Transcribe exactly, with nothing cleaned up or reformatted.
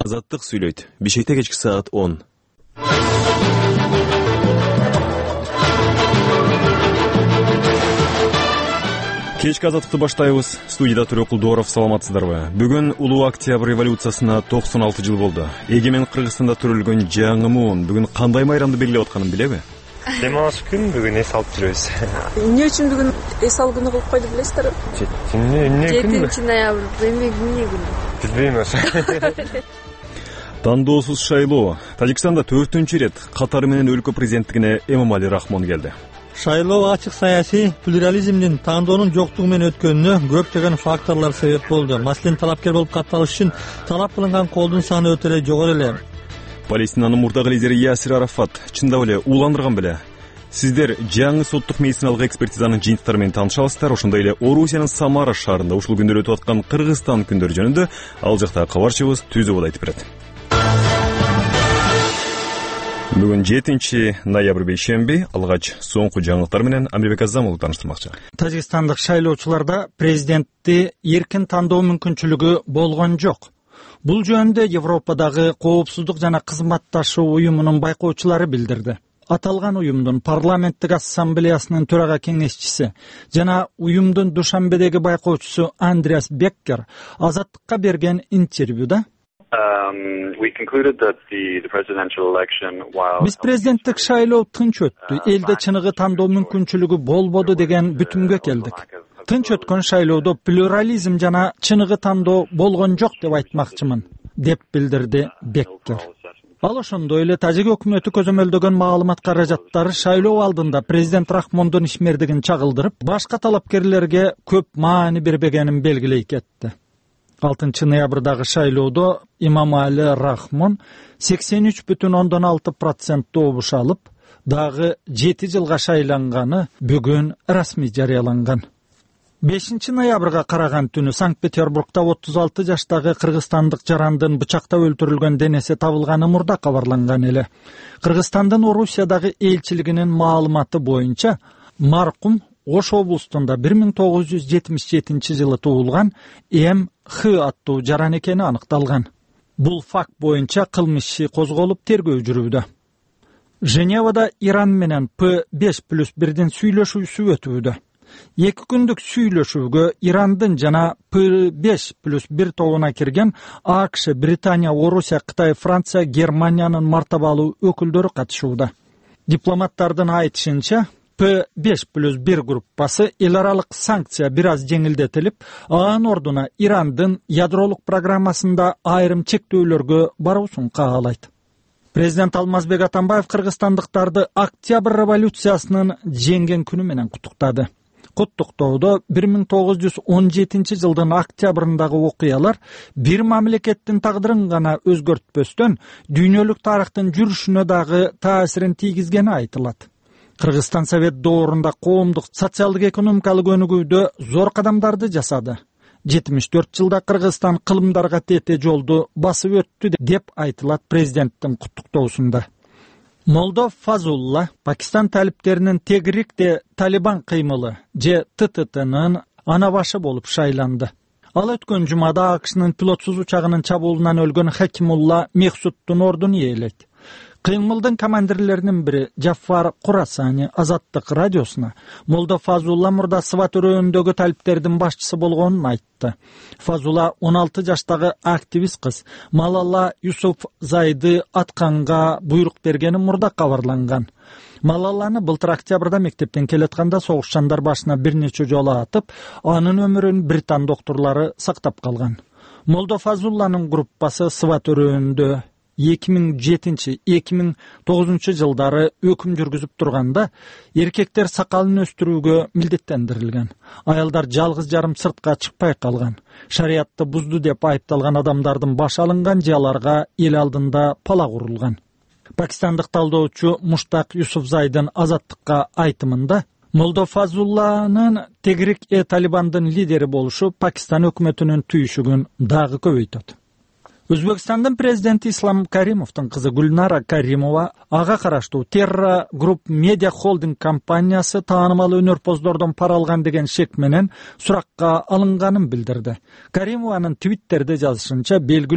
Азаттык сүйлөйт. Бишкекте кечки саат он. Кечки азаттыкты баштайбыз. Студияда Төрөк Кулдуоров, саламатсыздарбы? Бүгүн улуу октябрь революциясына токсон алты жыл болду. Эгемен Кыргызстанда төрөлгөн жаңы муун бүгүн кандай майрамды белгилеп атканын билеби? Дем алыш күн бүгүн эс алып жүрөбүз. Эмне үчүн бүгүн эс алуу күнү кылып койду билесиздерби? жетинчи ноябрь эмне күнү? Билбейм. Тандоосуз шайлоо. Тажикстанда төртүнчү ирет катары менен өлкө президенттигине Эмомали Рахмон келди. Шайлоо ачык саясий плюрализмдин, тандоонун жоктугу менен өткөнүнө көптөгөн факторлор себеп болду. Маселен, талапкер болуп катталыш үчүн талап кылынган колдун саны өтө эле жогору эле. Палестинанын мурдагы лидери Ясир Арафат чындап эле ууландырган беле? Сиздер жаңы соттук медициналык экспертизанын жыйынтыктары менен тааныша аласыздар. Ошондой эле Орусиянын Самара шаарында ушул күндөрү өтүп аткан Кыргызстан күндөрү жөнүндө ал жакта кабарчыбыз Түзөбол айтып берет. Бүгүн жетинчи ноябрь бейшемби. Алгач соңку жаңылыктар менен Амирбек Азамов тааныштырмакчы. Тажикстандык шайлоочуларда президентти эркин тандоо мүмкүнчүлүгү болгон жок. Бул жөнүндө Европадагы Коопсуздук жана кызматташуу уюмунун байкоочулары билдирди. Аталган уюмдун парламенттик ассамблеясынын төрага кеңешчиси жана уюмдун Душанбедеги байкоочусу Андреас Беккер Азаттыкка берген интервьюда биз президенттик шайлоо тынч өттү, элде чыныгы тандоо мүмкүнчүлүгү болбоду деген бүтүмгө келдик. Тынч өткөн шайлоодо плюрализм жана чыныгы тандоо болгон жок деп айтмакчымын, деп билдирди Беккер. Ал ошондой эле тажик өкмөтү көзөмөлдөгөн маалымат каражаттары шайлоо алдында президент Рахмондун ишмердигин чагылдырып, башка талапкерлерге көп маани бербегенин белгилей кетти. алтынчы ноябрдагы шайлоодо Эмомали Рахмон сексен үч бүтүн ондон алты процент добуш алып, дагы жети жылга шайланганы бүгүн расмий жарыяланган. бешинчи ноябрга караган түнү Санкт-Петербургда отуз алты жаштагы кыргызстандык жарандын бычактап өлтүрүлгөн денеси табылганы мурда кабарланган эле. Кыргызстандын Орусиядагы элчилигинин маалыматы боюнча, маркум Ош облустунда бир миң тогуз жүз жетимиш жетинчи жылы туулган М Х аттуу жаран экени аныкталган. Бул факт боюнча кылмыш иши козголуп, тергөө жүрүүдө. Женевада Иран менен П беш плюс бирдин сүйлөшүүсү өтүүдө. Эки күндүк сүйлөшүүгө Ирандын жана П беш плюс бир тобуна кирген А К Ш, Британия, Орусия, Кытай, Франция, Германиянын мартабалуу өкүлдөрү катышууда. Дипломаттардын айтышынча, П беш плюс бир группасы эл аралык санкция бир аз жеңилдетилип, анын ордуна Ирандын ядролук программасында айрым чектөөлөргө баруусун каалайт. Президент Алмазбек Атамбаев кыргызстандыктарды Октябрь революциясынын жеңген күнү менен куттуктады. Куттуктоодо бир миң тогуз жүз он жетинчи жылдын октябрындагы окуялар бир мамлекеттин тагдырын гана өзгөртпөстөн, дүйнөлүк тарыхтын жүрүшүнө дагы таасирин тийгизгени айтылат. Кыргызстан Совет доорунда коомдук социалдык экономикалык өнүгүүдө зор кадамдарды жасады. жетимиш төрт жылда Кыргызстан кылымдарга тете жолду басып өттү деп айтылат президенттин куттуктоосунда. Молдо Фазулла Пакистан талиптеринин Тегрикте Талибан кыймылы же Т Т Т'нын ана башы болуп шайланды. Ал өткөн жумада А К Шнын пилотсуз учагынын чабуулунан өлгөн Хакимулла Мехсуттун ордун ээлейт. Кыймылдын командирлеринин бири Жафар Курасани Азаттык радиосуна Молдо Фазулла мурда Сыва төрөөнүндөгү талиптердин башчысы болгонун айтты. Фазула он алты жаштагы активист кыз Малала Юсуфзайды атканга буйрук бергени мурда кабарланган. Малаланы былтыр октябрда мектептен келатканда согушчандар башына бир нече жолу атып, анын өмүрүн британ доктурлары сактап калган. Молдо Фазулланын группасы Сыва төрөөнүндө эки миң жетинчи — эки миң тогузунчу жылдары өкүм жүргүзүп турганда эркектер сакалын өстүрүүгө милдеттендирилген. Аялдар жалгыз жарым сыртка чыкпай калган. Шариятты бузду деп айыпталган адамдардын башы алынган же аларга эл алдында пала курулган. Пакистандык талдоочу Муштак Юсуфзайдын Азаттыкка айтымында Молдо Фазулланын Тегрик э Талибандын лидери болушу Пакистан өкмөтүнүн түйүшүгүн дагы көбөйтөт. Өзбекстандын президенти Ислам Каримовдун кызы Гүлнара Каримова ага караштуу Terra Group Media Holding компаниясы таанымал өнөрпоздордон пара алган деген шек менен суракка алынганын билдирди. Каримованын Твиттерде жазышынча, белгилүү